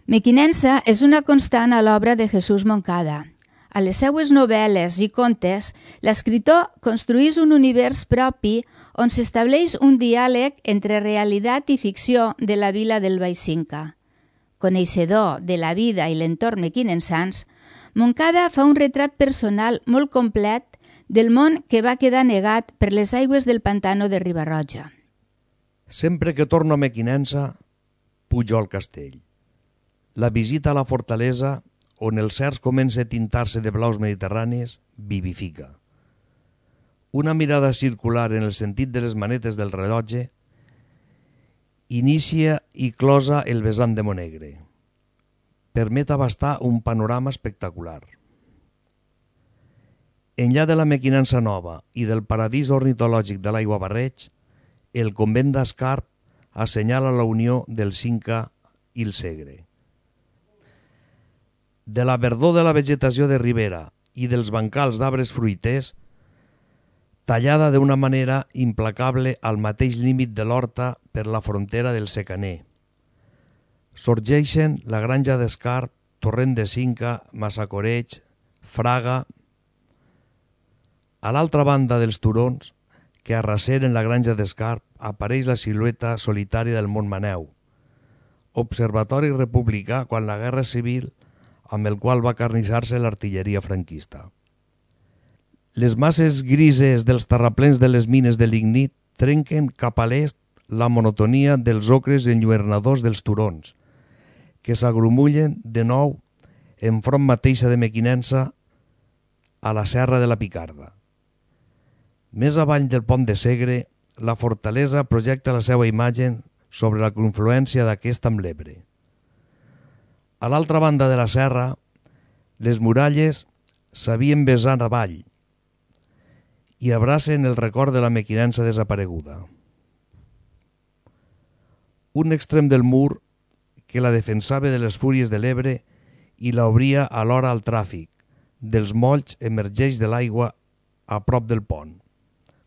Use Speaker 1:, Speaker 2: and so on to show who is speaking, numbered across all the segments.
Speaker 1: Mequinensa és una constant a l'obra de Jesús Moncada. A les seues novel·les i contes, l'escriptor construís un univers propi on s'estableix un diàleg entre realitat i ficció de la vila del Baix-Cinca. Coneixedor de la vida i l'entorn mequinensans, Moncada fa un retrat personal molt complet del món que va quedar negat per les aigües del pantano de Riba-roja.
Speaker 2: Sempre que torno a Mequinensa, pujo al castell. La visita a la fortalesa, on el cers comença a tintar-se de blaus mediterranis, vivifica. Una mirada circular en el sentit de les manetes del rellotge inicia i closa el vessant de Monegre. Permet abastar un panorama espectacular. Enllà de la Mequinensa nova i del paradís ornitològic de l'Aigua Barreig, el convent d'Escarp assenyala la unió del Cinca i el Segre. De la verdor de la vegetació de ribera i dels bancals d'arbres fruiters, tallada d'una manera implacable al mateix límit de l'horta per la frontera del secaner. Sorgeixen la granja d'Escarp, Torrent de Cinca, Massacoreig, Fraga. A l'altra banda dels turons, que arraseren la granja d'Escarp, apareix la silueta solitària del Montmaneu, observatori republicà quan la Guerra Civil, amb el qual va carnissar-se l'artilleria franquista. Les masses grises dels terraplens de les mines de lignit trenquen cap a l'est la monotonia dels ocres enlluernadors dels turons, que s'agrumullen de nou enfront mateixa de Mequinensa a la serra de la Picarda. Més avall del pont de Segre, la fortalesa projecta la seva imatge sobre la confluència d'aquesta amb l'Ebre. A l'altra banda de la serra, les muralles s'havien vessat avall i abracen el record de la Mequinensa desapareguda. Un extrem del mur que la defensava de les fúries de l'Ebre i l'obria alhora al tràfic dels molls emergeix de l'aigua a prop del pont,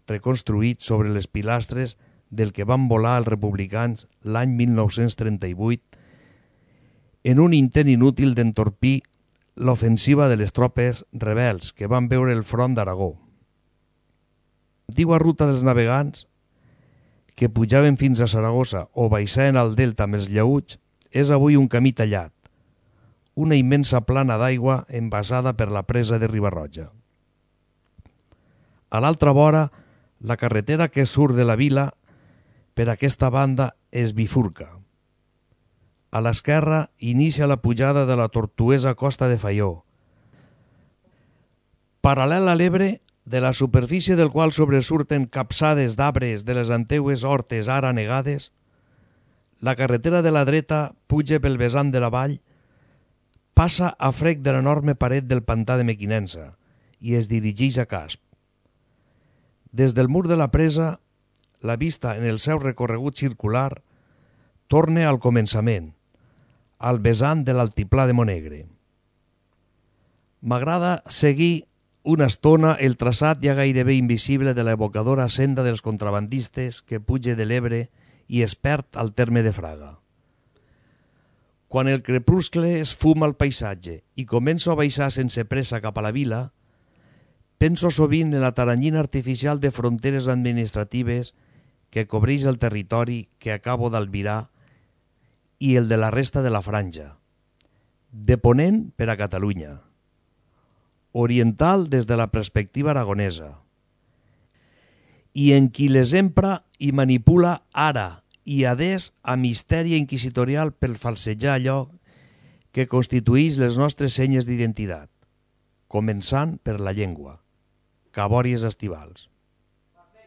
Speaker 2: reconstruït sobre les pilastres del que van volar els republicans l'any 1938 en un intent inútil d'entorpir l'ofensiva de les tropes rebels que van veure el front d'Aragó. L'antigua ruta dels navegants, que pujaven fins a Saragossa o baixaven al delta amb els llaüts, és avui un camí tallat, una immensa plana d'aigua envasada per la presa de Riba-roja. A l'altra vora, la carretera que surt de la vila per aquesta banda es bifurca. A l'esquerra inicia la pujada de la tortuosa costa de Faió. Paral·lel a l'Ebre, de la superfície del qual sobresurten capçades d'arbres de les antigues hortes ara negades, la carretera de la dreta puja pel vessant de la vall, passa a frec de l'enorme paret del pantà de Mequinensa i es dirigeix a Casp. Des del mur de la presa, la vista en el seu recorregut circular torna al començament, al vessant de l'altiplà de Monegre. M'agrada seguir una estona el traçat ja gairebé invisible de l'evocadora senda dels contrabandistes que puja de l'Ebre i es perd al terme de Fraga. Quan el crepuscle esfuma el paisatge i començo a baixar sense pressa cap a la vila, penso sovint en la taranyina artificial de fronteres administratives que cobreix el territori que acabo d'albirar i el de la resta de la franja, de ponent per a Catalunya, oriental des de la perspectiva aragonesa, i en qui les empra i manipula ara i adés a mistèria inquisitorial per falsejar allò que constitueix les nostres senyes d'identitat, començant per la llengua, cabòries estivals.